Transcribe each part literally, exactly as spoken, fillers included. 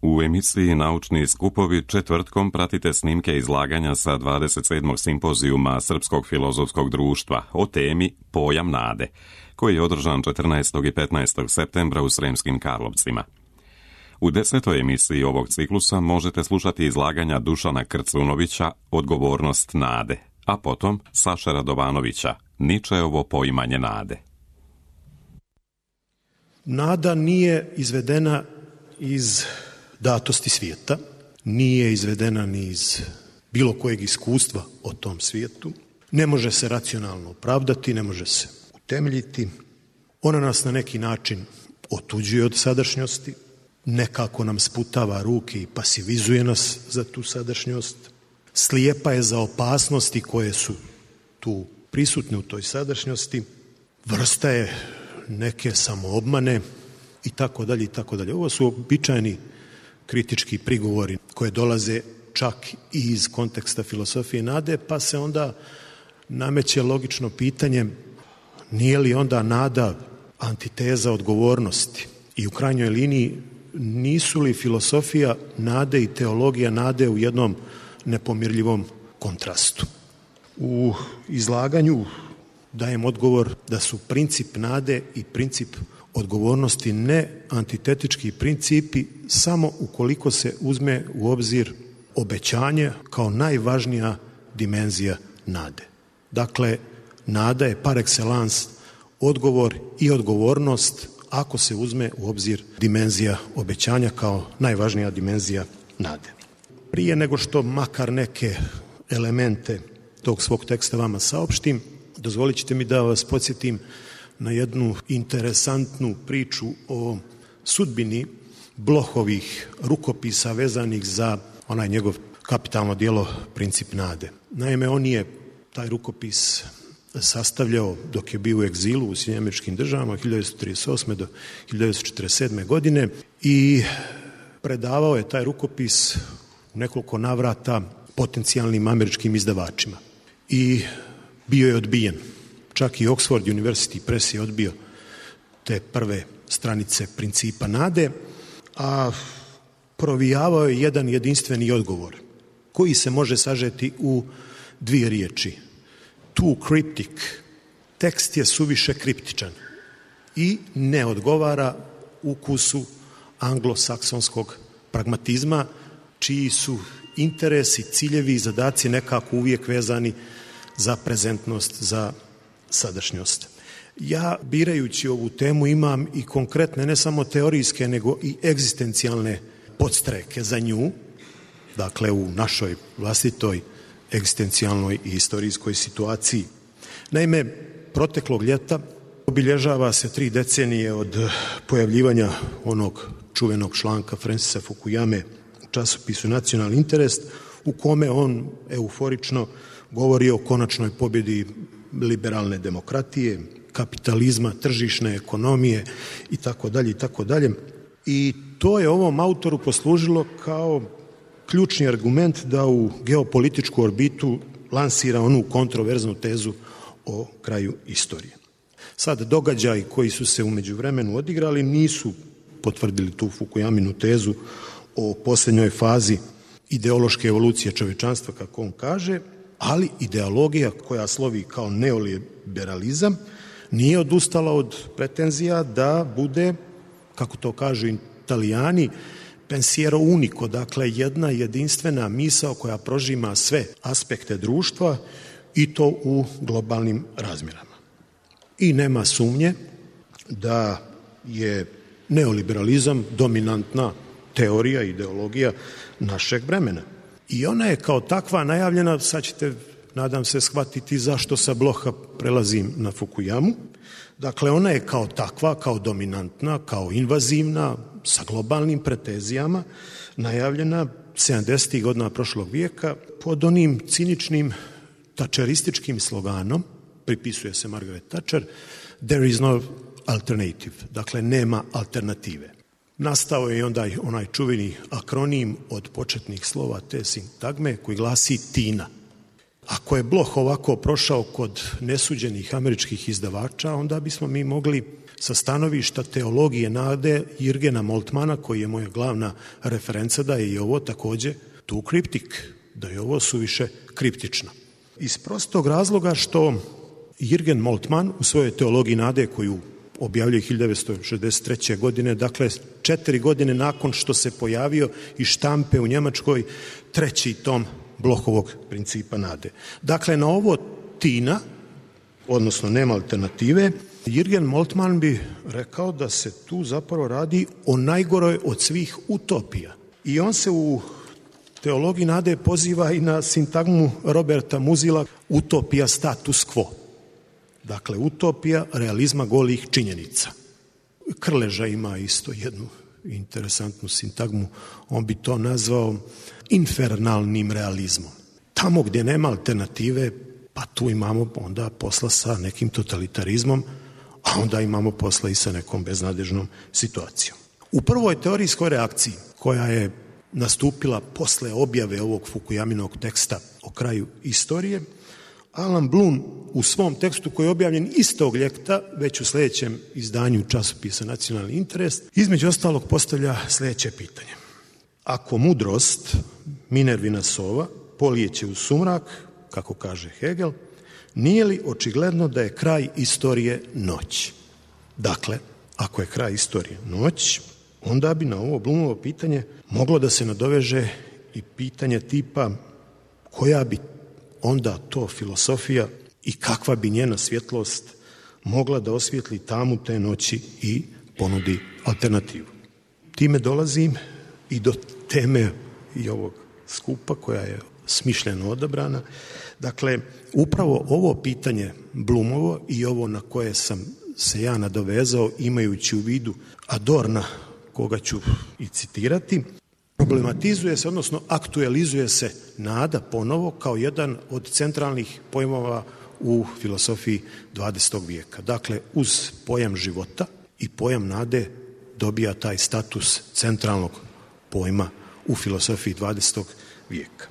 U emisiji Naučni skupovi četvrtkom pratite snimke izlaganja sa dvadeset sedmog simpozijuma Srpskog filozofskog društva o temi Pojam nade, koji je održan četrnaestog i petnaestog septembra u Sremskim Karlovcima. U desetoj emisiji ovog ciklusa možete slušati izlaganja Dušana Krcunovića Odgovornost nade, a potom Saše Radovanovića Ničeovo poimanje nade. Nada nije izvedena iz datosti svijeta, nije izvedena ni iz bilo kojeg iskustva o tom svijetu, ne može se racionalno opravdati, ne može se utemeljiti. Ona nas na neki način otuđuje od sadašnjosti, nekako nam sputava ruke i pasivizuje nas za tu sadašnjost, slijepa je za opasnosti koje su tu prisutne u toj sadašnjosti, vrsta je neke samoobmane i tako dalje i tako dalje. Ovo su običajni kritički prigovori koje dolaze čak i iz konteksta filosofije nade, pa se onda nameće logično pitanje, nije li onda nada antiteza odgovornosti i u krajnjoj liniji nisu li filosofija nade i teologija nade u jednom nepomirljivom kontrastu. U izlaganju dajem odgovor da su princip nade i princip odgovornosti ne antitetički principi samo ukoliko se uzme u obzir obećanje kao najvažnija dimenzija nade. Dakle, nada je par excellence odgovor i odgovornost ako se uzme u obzir dimenzija obećanja kao najvažnija dimenzija nade. Prije nego što makar neke elemente tog svog teksta vama saopštim, dozvolit ćete mi da vas podsjetim na jednu interesantnu priču o sudbini Blohovih rukopisa vezanih za onaj njegov kapitalno djelo Princip nade. Naime, on je taj rukopis sastavljao dok je bio u egzilu u Sjedinjenim Američkim Državama od hiljadu devetsto trideset osme do hiljadu devetsto četrdeset sedme godine i predavao je taj rukopis u nekoliko navrata potencijalnim američkim izdavačima. I bio je odbijen. Čak i Oxford University Press je odbio te prve stranice Principa nade, a provijavao je jedan jedinstveni odgovor koji se može sažeti u dvije riječi. Too cryptic. Tekst je suviše kriptičan i ne odgovara ukusu anglosaksonskog pragmatizma, čiji su interesi, ciljevi i zadaci nekako uvijek vezani za prezentnost, za sadašnjost. Ja, birajući ovu temu, imam i konkretne, ne samo teorijske, nego i egzistencijalne podstreke za nju, dakle u našoj vlastitoj egzistencijalnoj i historijskoj situaciji. Naime, proteklog ljeta obilježava se tri decenije od pojavljivanja onog čuvenog članka Francisa Fukuyame u časopisu Nacionalni interes, u kome on euforično govori o konačnoj pobjedi liberalne demokratije, kapitalizma, tržišne ekonomije i tako dalje i tako dalje. I to je ovom autoru poslužilo kao ključni argument da u geopolitičku orbitu lansira onu kontroverznu tezu o kraju istorije. Sad, događaji koji su se u međuvremenu odigrali nisu potvrdili tu Fukuyaminu tezu o posljednjoj fazi ideološke evolucije čovječanstva, kako on kaže, ali ideologija koja slovi kao neoliberalizam nije odustala od pretenzija da bude, kako to kažu Italijani, pensiero unico, dakle jedna jedinstvena misao koja prožima sve aspekte društva i to u globalnim razmjerama. I nema sumnje da je neoliberalizam dominantna teorija, ideologija našeg vremena. I ona je kao takva najavljena, sad ćete, nadam se, shvatiti zašto sa Bloha prelazim na Fukuyamu. Dakle, ona je kao takva, kao dominantna, kao invazivna, sa globalnim pretenzijama, najavljena sedamdesetih godina prošlog vijeka pod onim ciničnim tačerističkim sloganom, pripisuje se Margaret Thatcher, there is no alternative, dakle nema alternative. Nastao je onda onaj čuveni akronim od početnih slova te sintagme koji glasi TINA. Ako je Bloch ovako prošao kod nesuđenih američkih izdavača, onda bismo mi mogli sa stanovišta teologije nade Jürgena Moltmana, koji je moja glavna referenca, da je i ovo također tu kriptik, da je ovo suviše kriptično. Iz prostog razloga što Jürgen Moltmann u svojoj teologiji nade, koju objavljuje hiljadu devetsto šezdeset treće. godine, dakle četiri godine nakon što se pojavio iz štampe u Njemačkoj treći tom Blochovog principa nade. Dakle, na ovo tina, odnosno nema alternative, Jürgen Moltmann bi rekao da se tu zapravo radi o najgoroj od svih utopija. I on se u teologiji nade poziva i na sintagmu Roberta Muzila utopija status quo. Dakle, utopija realizma golih činjenica. Krleža ima isto jednu interesantnu sintagmu, on bi to nazvao infernalnim realizmom. Tamo gdje nema alternative, pa tu imamo onda posla sa nekim totalitarizmom, a onda imamo posla i sa nekom beznadežnom situacijom. U prvoj teorijskoj reakciji, koja je nastupila posle objave ovog Fukuyaminog teksta o kraju istorije, Alan Bloom u svom tekstu koji je objavljen istog ljeta, već u sljedećem izdanju časopisa Nacionalni interes, između ostalog postavlja sljedeće pitanje. Ako mudrost, Minervina sova, polijeće u sumrak, kako kaže Hegel, nije li očigledno da je kraj istorije noć? Dakle, ako je kraj istorije noć, onda bi na ovo Bloomovo pitanje moglo da se nadoveže i pitanje tipa koja bi onda to filosofija i kakva bi njena svjetlost mogla da osvijetli tamu te noći i ponudi alternativu. Time dolazim i do teme i ovog skupa koja je smišljeno odabrana. Dakle, upravo ovo pitanje Bloomovo i ovo na koje sam se ja nadovezao imajući u vidu Adorna, koga ću i citirati, problematizuje se, odnosno aktualizuje se nada ponovo kao jedan od centralnih pojmova u filosofiji dvadesetog vijeka. Dakle, uz pojam života i pojam nade dobija taj status centralnog pojma u filosofiji dvadesetog vijeka.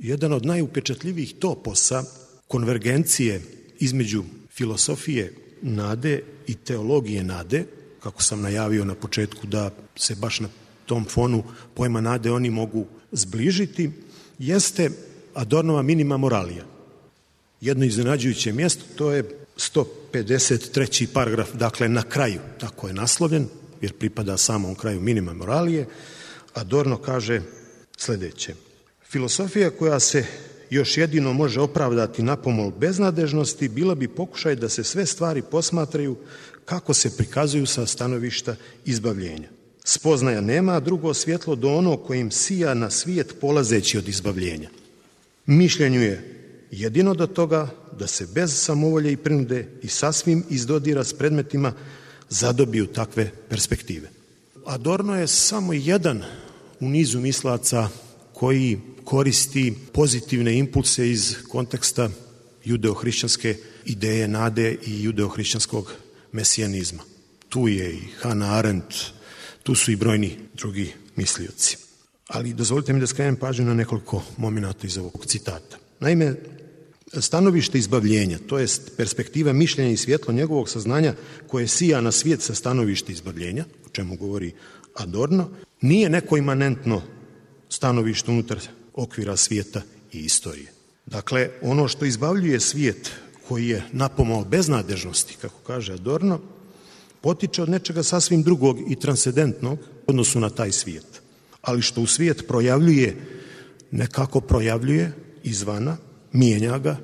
Jedan od najupečatljivijih toposa konvergencije između filosofije nade i teologije nade, kako sam najavio na početku da se baš na tom fonu pojma nade oni mogu zbližiti, jeste Adornova minima moralija. Jedno iznenađujuće mjesto, to je sto pedeset treći paragraf, dakle na kraju, tako je naslovljen, jer pripada samom kraju minima moralije. Adorno kaže sljedeće. Filosofija koja se još jedino može opravdati napomol beznadežnosti bila bi pokušaj da se sve stvari posmatraju kako se prikazuju sa stanovišta izbavljenja. Spoznaja nema drugo svjetlo do ono kojim sija na svijet polazeći od izbavljenja. Mišljenju je jedino do toga da se bez samovolje i prinude i sasvim iz dodira s predmetima zadobiju takve perspektive. Adorno je samo jedan u nizu mislaca koji koristi pozitivne impulse iz konteksta judeo-hrišćanske ideje nade i judeo-hrišćanskog mesijanizma. Tu je i Hannah Arendt, tu su i brojni drugi mislioci. Ali dozvolite mi da skrenem pažnju na nekoliko momenata iz ovog citata. Naime, stanovište izbavljenja, to je perspektiva mišljenja i svjetlo njegovog saznanja koje sija na svijet sa stanovište izbavljenja, o čemu govori Adorno, nije neko imanentno stanovište unutar okvira svijeta i istorije. Dakle, ono što izbavljuje svijet koji je napomao beznadežnosti, kako kaže Adorno, potiče od nečega sasvim drugog i transcendentnog u odnosu na taj svijet. Ali što u svijet projavljuje, nekako projavljuje izvana, mijenja ga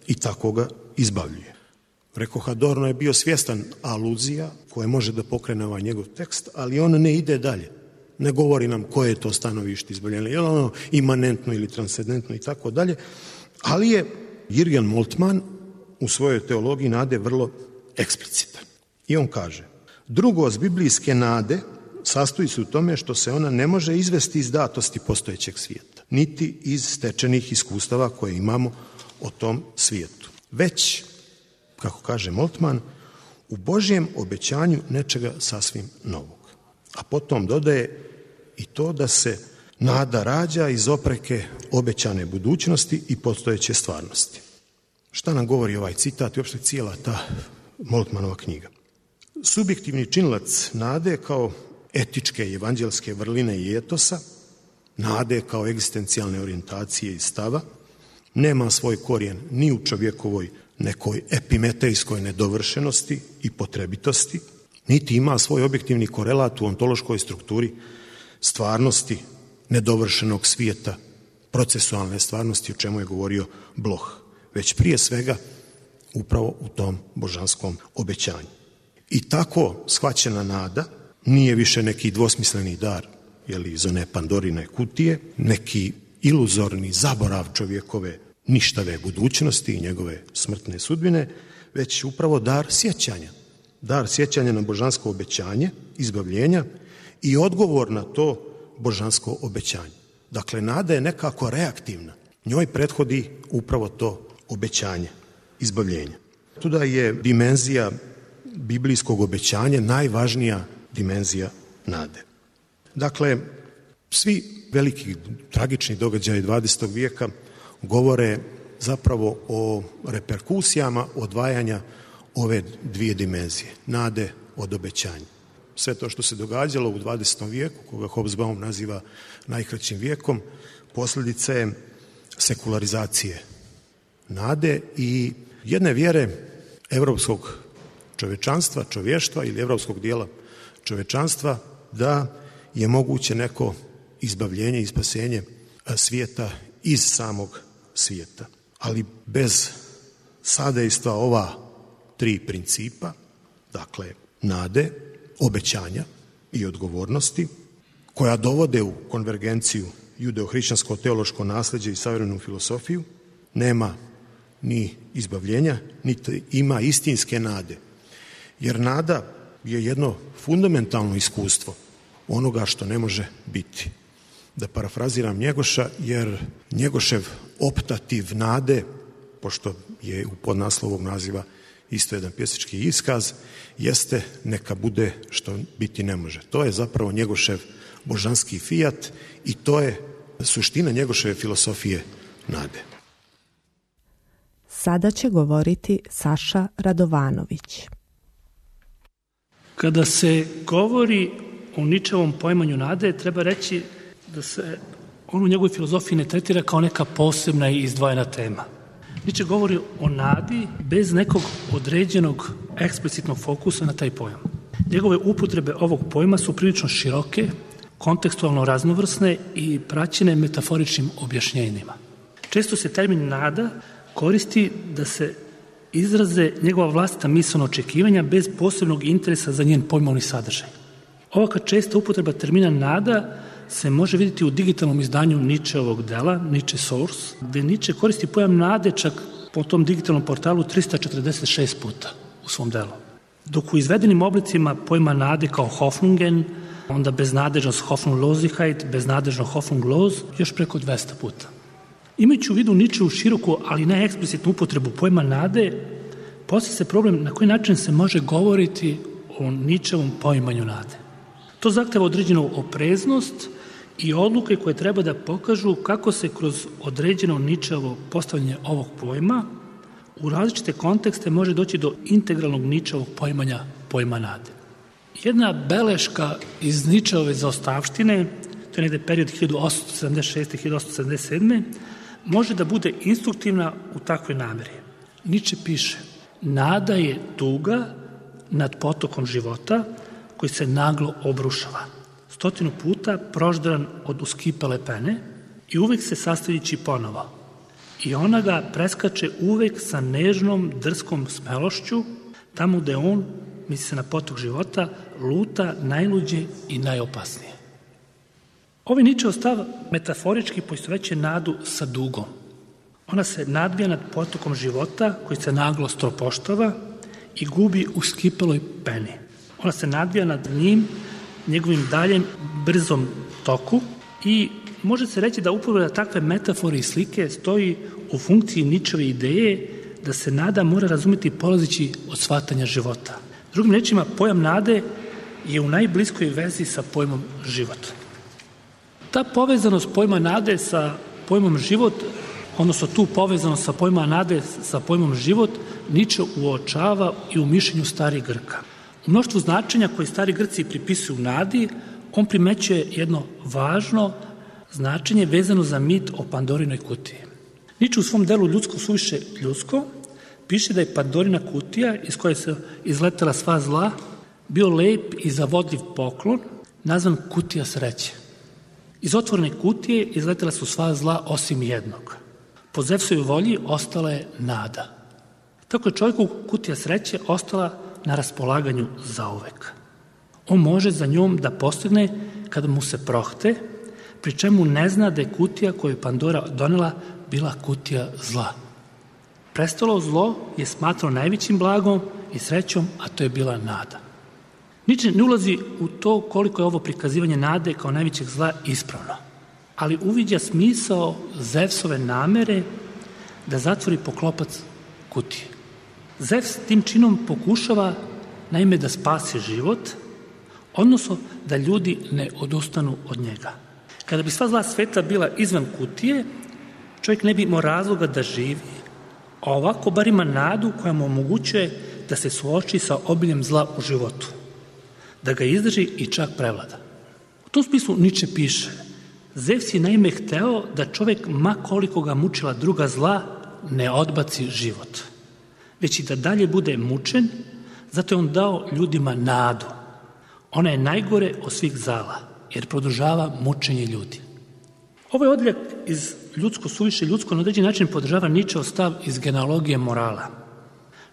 i tako ga izbavljuje. Rekoh, Adorno je bio svjestan aluzija koje može da pokrene ovaj njegov tekst, ali on ne ide dalje. Ne govori nam koje je to stanovište izbavljenja, je li ono imanentno ili transcendentno i tako dalje, ali je Jürgen Moltmann u svojoj teologiji nade vrlo eksplicitan. I on kaže, drugost biblijske nade sastoji se u tome što se ona ne može izvesti iz datosti postojećeg svijeta, niti iz stečenih iskustava koje imamo o tom svijetu. Već, kako kaže Moltmann, u Božjem obećanju nečega sasvim novog. A potom dodaje i to da se nada rađa iz opreke obećane budućnosti i postojeće stvarnosti. Šta nam govori ovaj citat i uopšte cijela ta Moltmannova knjiga? Subjektivni činilac nade kao etičke i evanđelske vrline i etosa, nade kao egzistencijalne orijentacije i stava, nema svoj korijen ni u čovjekovoj nekoj epimetejskoj nedovršenosti i potrebitosti, niti ima svoj objektivni korelat u ontološkoj strukturi stvarnosti nedovršenog svijeta, procesualne stvarnosti, o čemu je govorio Bloch, već prije svega upravo u tom božanskom obećanju. I tako shvaćena nada nije više neki dvosmisleni dar, jeli iz one Pandorine kutije, neki iluzorni zaborav čovjekove ništave budućnosti i njegove smrtne sudbine, već upravo dar sjećanja. Dar sjećanja na božansko obećanje, izbavljenja i odgovor na to božansko obećanje. Dakle, nada je nekako reaktivna. Njoj prethodi upravo to obećanje, izbavljenje. Tuda je dimenzija biblijskog obećanja najvažnija dimenzija nade. Dakle, svi veliki tragični događaji dvadesetog vijeka govore zapravo o reperkusijama odvajanja ove dvije dimenzije, nade od obećanja. Sve to što se događalo u dvadesetom vijeku, koga Hobsbawm naziva najkraćim vijekom, posljedica je sekularizacije nade i jedne vjere evropskog čovečanstva, čovještva ili evropskog dijela čovečanstva da je moguće neko izbavljenje i spasenje svijeta iz samog svijeta. Ali bez sadejstva ova tri principa, dakle nade, obećanja i odgovornosti, koja dovode u konvergenciju judeo-hrišćansko teološko nasljeđe i savremenu filosofiju, nema ni izbavljenja, niti ima istinske nade. Jer nada je jedno fundamentalno iskustvo onoga što ne može biti. Da parafraziram Njegoša, jer Njegošev optativ nade, pošto je u podnaslovu naziva isto jedan pjesnički iskaz, jeste neka bude što biti ne može. To je zapravo Njegošev božanski fijat i to je suština Njegoševe filosofije nade. Sada će govoriti Saša Radovanović. Kada se govori o Ničevom poimanju nade, treba reći da se on u njegovoj filozofiji ne tretira kao neka posebna i izdvojena tema. Niče govori o nadi bez nekog određenog eksplicitnog fokusa na taj pojam. Njegove upotrebe ovog pojma su prilično široke, kontekstualno raznovrsne i praćene metaforičnim objašnjenjima. Često se termin nada koristi da se izraze njegova vlastita misaona očekivanja bez posebnog interesa za njen pojmovni sadržaj. Ovaka česta upotreba termina nada se može vidjeti u digitalnom izdanju Ničeovog dela, Niče Source, gde Niče koristi pojam nade čak po tom digitalnom portalu trista četrdeset šest puta u svom delu. Dok u izvedenim oblicima pojma nade kao Hoffnungen, onda beznadežnost Hoffnungslosigkeit, beznadežno Hoffnungslos, još preko dvesta puta. Imajući u vidu Ničevu široku, ali ne eksplicitnu upotrebu pojma nade, postavlja se problem na koji način se može govoriti o Ničevom poimanju nade. To zahteva određenu opreznost i odluke koje treba da pokažu kako se kroz određeno Ničevo postavljanje ovog pojma u različite kontekste može doći do integralnog Ničevog poimanja pojma nade. Jedna beleška iz Ničeove zaostavštine, to je negde period hiljadu osamsto sedamdeset šeste do hiljadu osamsto sedamdeset sedme, može da bude instruktivna u takvoj nameri. Niče piše: nada je tuga nad potokom života koji se naglo obrušava, stotinu puta proždran od uskipele pene i uvek se sastavljići ponovo. I ona ga preskače uvek sa nežnom, drskom smelošću, tamo gde on, misli se na potok života, luta najluđe i najopasnije. Ovaj Ničeov stav metaforički poistovećuje nadu sa dugom. Ona se nadbija nad potokom života koji se naglo stropoštava i gubi u skipeloj peni. Ona se nadbija nad njim, njegovim daljem brzom toku i može se reći da upotreba takve metafore i slike stoji u funkciji Ničeve ideje da se nada mora razumjeti polazeći od shvatanja života. Drugim rečima, pojam nade je u najbliskoj vezi sa pojmom život. Ta povezanost pojma nade sa pojmom život, odnosno tu povezanost sa pojma nade sa pojmom život, Niče uočava i u mišljenju starih Grka. U mnoštvu značenja koje stari Grci pripisuju nadi, on primećuje jedno važno značenje vezano za mit o Pandorinoj kutiji. Niče u svom delu Ljudsko suviše ljudsko piše da je Pandorina kutija iz koje se izletela sva zla bio lep i zavodljiv poklon nazvan kutija sreće. Iz otvorene kutije izletela su sva zla osim jednog. Po Zevsovoj volji ostala je nada. Tako je čovjeku kutija sreće ostala na raspolaganju zauvek. On može za njom da postigne kada mu se prohte, pri čemu ne zna da je kutija koju je Pandora donela bila kutija zla. Prestalo zlo je smatrao najvećim blagom i srećom, a to je bila nada. Niče ne ulazi u to koliko je ovo prikazivanje nade kao najvećeg zla ispravno, ali uviđa smisao Zevsove namere da zatvori poklopac kutije. Zevs tim činom pokušava naime da spasi život, odnosno da ljudi ne odustanu od njega. Kada bi sva zla sveta bila izvan kutije, čovjek ne bi imao razloga da živi, a ovako bar ima nadu koja mu omogućuje da se suoči sa obiljem zla u životu, da ga izdrži i čak prevlada. U tom smislu Niče piše: Zevs je naime hteo da čovjek, ma koliko ga mučila druga zla, ne odbaci život, već i da dalje bude mučen, zato je on dao ljudima nadu. Ona je najgore od svih zala, jer produžava mučenje ljudi. Ovaj odljak iz Ljudsko suviše ljudsko na određeni način podržava Ničeov stav iz genealogije morala.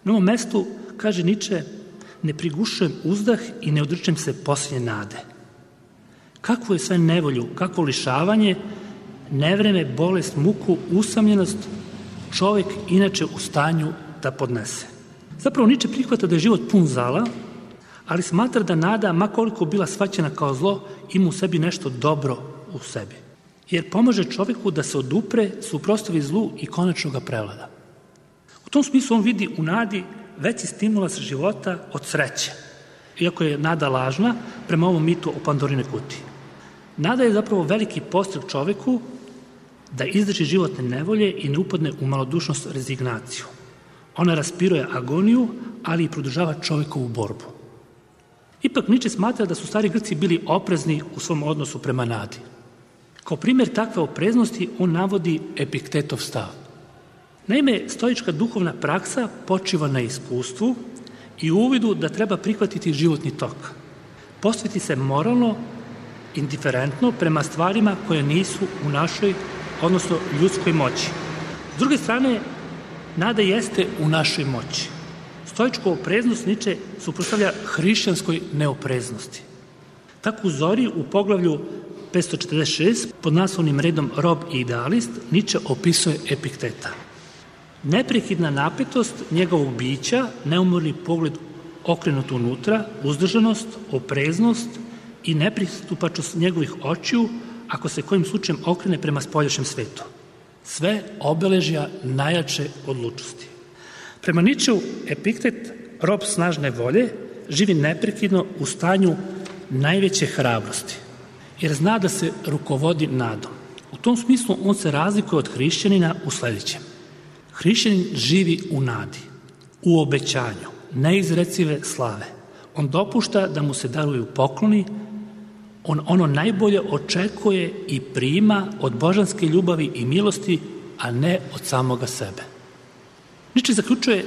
Na ovom mestu, kaže Niče, ne prigušujem uzdah i ne odričem se posljednje nade. Kakvu je sve nevolju, kakvo lišavanje, nevreme, bolest, muku, usamljenost čovjek inače u stanju da podnese. Zapravo Niče prihvata da je život pun zala, ali smatra da nada, ma koliko bila shvaćena kao zlo, ima u sebi nešto dobro u sebi. Jer pomaže čovjeku da se odupre, suprotstavi zlu i konačno ga prevlada. U tom smislu on vidi u nadi veći stimulans života od sreće, iako je nada lažna prema ovom mitu o Pandorinoj kutiji. Nada je zapravo veliki podstrek čovjeku da izdrži životne nevolje i ne upadne u malodušnost, rezignaciju. Ona raspiruje agoniju, ali i produžava čovjekovu borbu. Ipak Niče smatra da su stari Grci bili oprezni u svom odnosu prema nadi. Kao primjer takve opreznosti on navodi Epiktetov stav. Naime, stoička duhovna praksa počiva na iskustvu i uvidu da treba prihvatiti životni tok. Postaviti se moralno, indiferentno prema stvarima koje nisu u našoj, odnosno ljudskoj moći. S druge strane, nada jeste u našoj moći. Stoičku opreznost Niče suprotstavlja hrišćanskoj neopreznosti. Tako u Zori u poglavlju petsto četrdeset šest pod naslovnim redom Rob i idealist Niče opisuje Epikteta. Neprekidna napetost njegovog bića, neumorni pogled okrenut unutra, uzdržanost, opreznost i nepristupačnost njegovih očiju ako se kojim slučajem okrene prema spoljašnjem svetu. Sve obeležja najjače odlučnosti. Prema Ničeu Epiktet, rob snažne volje, živi neprekidno u stanju najveće hrabrosti, jer zna da se rukovodi nadom. U tom smislu on se razlikuje od hrišćanina u sljedećem. Hrišćanin živi u nadi, u obećanju, neizrecive slave. On dopušta da mu se daruju pokloni, on ono najbolje očekuje i prima od božanske ljubavi i milosti, a ne od samoga sebe. Niče zaključuje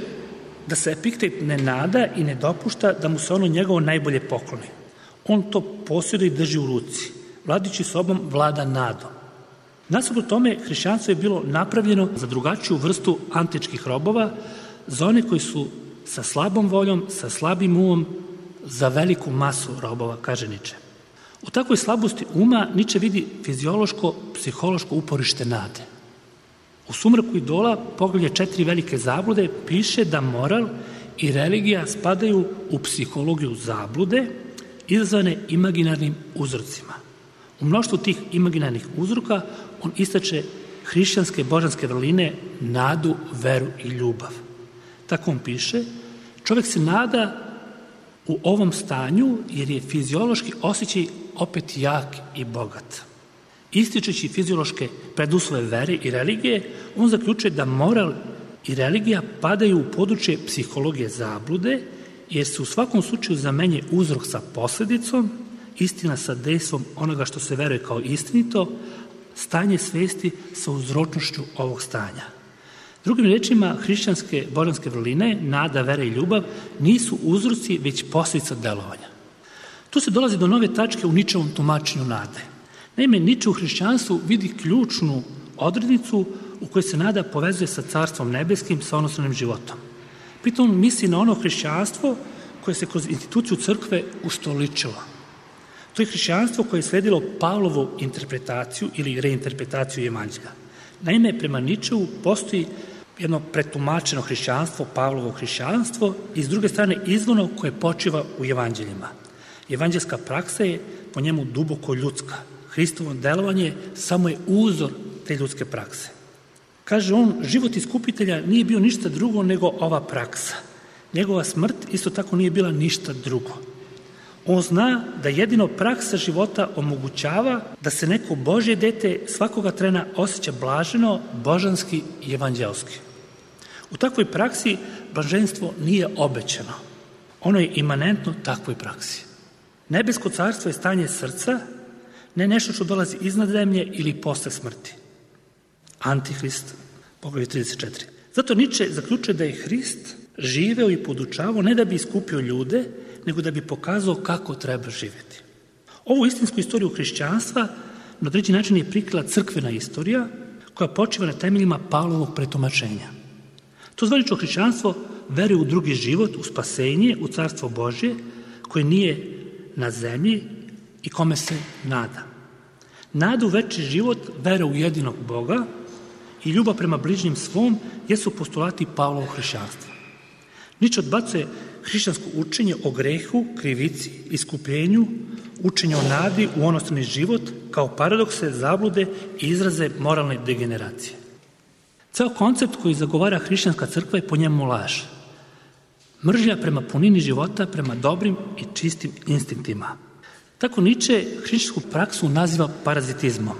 da se Epiktet ne nada i ne dopušta da mu se ono njegovo najbolje pokloni. On to posjeduje i drži u ruci. Vladajući sobom vlada nadom. Nasuprot tome, hrišćanstvo je bilo napravljeno za drugačiju vrstu antičkih robova, za one koji su sa slabom voljom, sa slabim umom, za veliku masu robova, kaže Niče. U takvoj slabosti uma Niče vidi fiziološko, psihološko uporište nade. U Sumraku idola, poglavlje četiri velike zablude, piše da moral i religija spadaju u psihologiju zablude izazvane imaginarnim uzrocima. U mnoštvu tih imaginarnih uzroka on istače hrišćanske božanske vrline, nadu, veru i ljubav. Tako on piše, čovjek se nada u ovom stanju jer je fiziološki osjećaj opet jak i bogat. Ističući fiziološke preduslove vere i religije, on zaključuje da moral i religija padaju u područje psihologije zablude jer se u svakom slučaju zamenje uzrok sa posljedicom, istina sa dejstvom onoga što se veruje kao istinito, stanje svesti sa uzročnošću ovog stanja. Drugim rečima, hrišćanske božanske vrline, nada, vera i ljubav, nisu uzroci, već posljedica delovanja. Tu se dolazi do nove tačke u Ničevom tumačenju nade. Naime, Niče u hrišćanstvu vidi ključnu odrednicu u kojoj se nada povezuje sa carstvom nebeskim, sa onostranim životom. Pritom misli na ono hrišćanstvo koje se kroz instituciju crkve ustoličilo. To je hrišćanstvo koje je sledilo Pavlovu interpretaciju ili reinterpretaciju evanđelja. Naime, prema Ničeu postoji jedno pretumačeno hrišćanstvo, Pavlovo hrišćanstvo, i s druge strane izvorno koje počiva u evanđeljima. Evanđelska praksa je po njemu duboko ljudska. Hristovo delovanje samo je uzor te ljudske prakse. Kaže on, život iskupitelja nije bio ništa drugo nego ova praksa. Njegova smrt isto tako nije bila ništa drugo. On zna da jedino praksa života omogućava da se neko Božje dete svakoga trena osjeća blaženo, božanski i evanđelski. U takvoj praksi blaženstvo nije obećano. Ono je imanentno takvoj praksi. Nebesko carstvo je stanje srca, ne nešto što dolazi iznad zemlje ili posle smrti. Antihrist, poglavlje trideset četiri. Zato Niče zaključuje da je Hrist živeo i podučavao ne da bi iskupio ljude, nego da bi pokazao kako treba živjeti. Ovu istinsku istoriju hrišćanstva na određeni način je prikrila crkvena istorija koja počiva na temeljima Pavlovog pretumačenja. To zvanično hrišćanstvo veruje u drugi život, u spasenje, u carstvo Božje, koje nije na zemlji i kome se nada. Nada u večni život, vera u jedinog Boga i ljubav prema bližnjem svom jesu postulati Pavlovog hrišćanstva. Niče odbacuje hrišćansko učenje o grehu, krivici, iskupljenju, učenje o nadi u onostrani život kao paradokse, zablude i izraze moralne degeneracije. Ceo koncept koji zagovara hrišćanska crkva je po njemu laž. Mržnja prema punini života, prema dobrim i čistim instinktima. Tako Niče hrišćansku praksu naziva parazitizmom.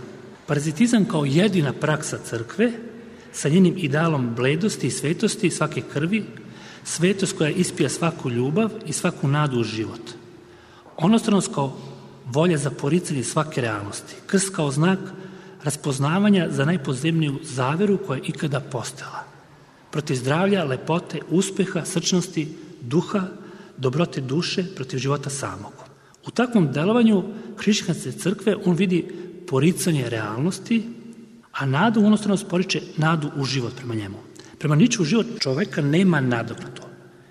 Parazitizam kao jedina praksa crkve sa njenim idealom bledosti i svetosti svake krvi, svetost koja ispija svaku ljubav i svaku nadu u život. Onostranost kao volja za poricanje svake realnosti. Krst kao znak raspoznavanja za najpozemniju zaveru koja je ikada postojala. Protiv zdravlja, lepote, uspeha, srčnosti, duha, dobrote duše, protiv života samog. U takvom delovanju hrišćanske crkve on vidi poricanje realnosti, a nadu u onostranost poriče nadu u život prema njemu. Prema Niču život čoveka nema nadoknadu.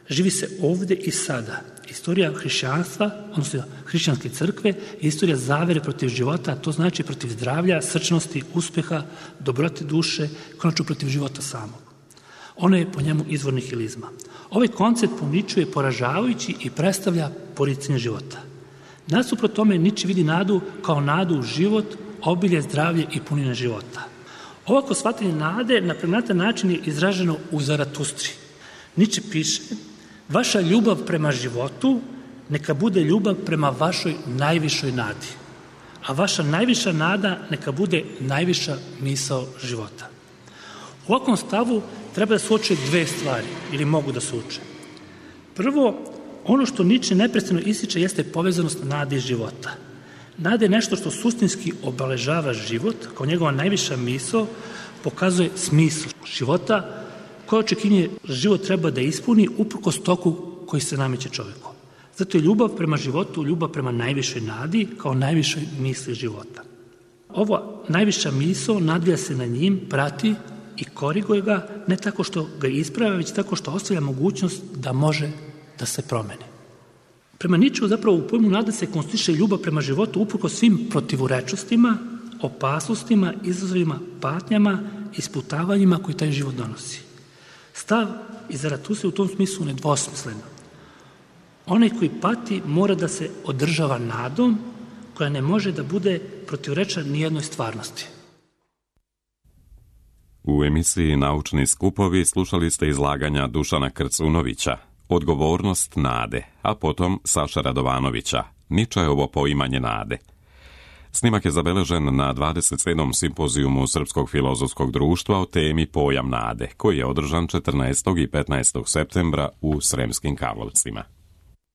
Živi se ovde i sada. Istorija hrišćanstva, odnosno hrišćanske crkve, je istorija zavere protiv života, a to znači protiv zdravlja, srčnosti, uspeha, dobrote duše, konačno protiv života samog. Ono je po njemu izvor nihilizma. Ovaj koncept po Niču je poražavajući i predstavlja poricanje života. Nasuprot tome Niče vidi nadu kao nadu u život, obilje, zdravlje i punine života. Ovako shvatanje nade na pregnatan način je izraženo u Zaratustri. Niče piše, vaša ljubav prema životu neka bude ljubav prema vašoj najvišoj nadi, a vaša najviša nada neka bude najviša misao života. U ovakvom stavu treba da se uče dve stvari, ili mogu da se uče. Prvo, ono što Niče neprestano ističe jeste povezanost nade i života. Nada je nešto što suštinski obeležava život, kao njegova najviša misao, pokazuje smisao života, koje očekivanje život treba da ispuni uprkos toku koji se nameće čoveku. Zato je ljubav prema životu, ljubav prema najvišoj nadi, kao najvišoj misli života. Ova najviša misao nadvija se na njim, prati i koriguje ga, ne tako što ga ispravlja, već tako što ostavlja mogućnost da može da se promeni. Prema Ničeu zapravo u pojmu nade se konstituiše ljubav prema životu uprkos svim protivurečnostima, opasnostima, izazovima, patnjama, isputavanjima koji taj život donosi. Stav iz Zaratustre u tom smislu nedvosmisleno. Onaj koji pati mora da se održava nadom koja ne može da bude protivrečna nijednoj stvarnosti. U emisiji Naučni skupovi slušali ste izlaganja Dušana Krcunovića, Odgovornost nade, a potom Saša Radovanovića, Ničeovo poimanje nade. Snimak je zabeležen na dvadeset sedmom simpozijumu Srpskog filozofskog društva o temi Pojam nade, koji je održan četrnaestog i petnaestog septembra u Sremskim Karlovcima.